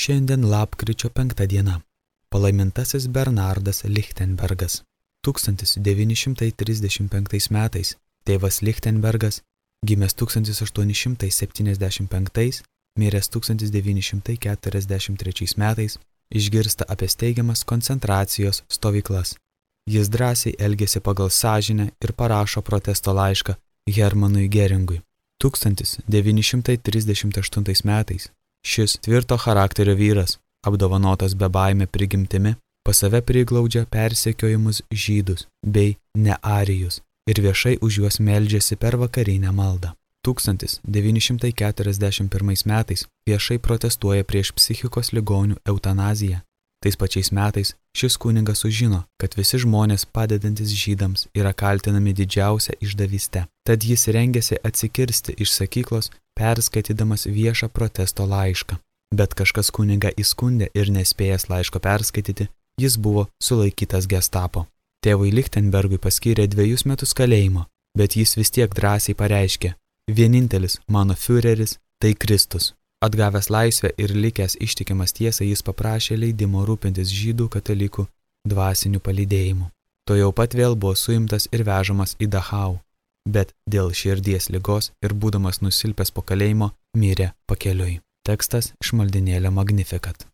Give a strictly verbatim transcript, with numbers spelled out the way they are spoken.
Šiandien lapkričio penkta diena. Palaimintasis Bernardas Lichtenbergas. tūkstantis devyni šimtai trisdešimt penktais metais tėvas Lichtenbergas, gimęs tūkstantis aštuoni šimtai septyniasdešimt penktais, miręs tūkstantis devyni šimtai keturiasdešimt trečiais metais, išgirsta apie steigiamas koncentracijos stovyklas. Jis drąsiai elgėsi pagal sąžinę ir parašo protesto laišką Hermanui Geringui. tūkstantis devyni šimtai trisdešimt aštuntais metais šis tvirto charakterio vyras, apdovanotas bebaime prigimtimi, pas save priglaudžia persekiojimus žydus bei nearijus ir viešai už juos meldžiasi per vakarinę maldą. tūkstantis devyni šimtai keturiasdešimt pirmais metais viešai protestuoja prieš psichikos ligonių eutanaziją. Tais pačiais metais šis kunigas sužino, kad visi žmonės padedantis žydams yra kaltinami didžiausia išdavyste. Tad jis rengėsi atsikirsti iš sakyklos, perskaitydamas viešą protesto laišką. Bet kažkas kunigą įskundė ir nespėjęs laiško perskaityti, jis buvo sulaikytas gestapo. Tėvui Lichtenbergui paskyrė dviejus metus kalėjimo, bet jis vis tiek drąsiai pareiškė: vienintelis mano fiureris tai Kristus. Atgavęs laisvę ir likęs ištikimas tiesai, jis paprašė leidimo rūpintis žydų katalikų dvasiniu palydėjimu. To jau pat vėl buvo suimtas ir vežamas į Dachau, bet dėl širdies ligos ir būdamas nusilpęs po kalėjimo mirė pakeliui. Tekstas iš maldinėlio Magnificat.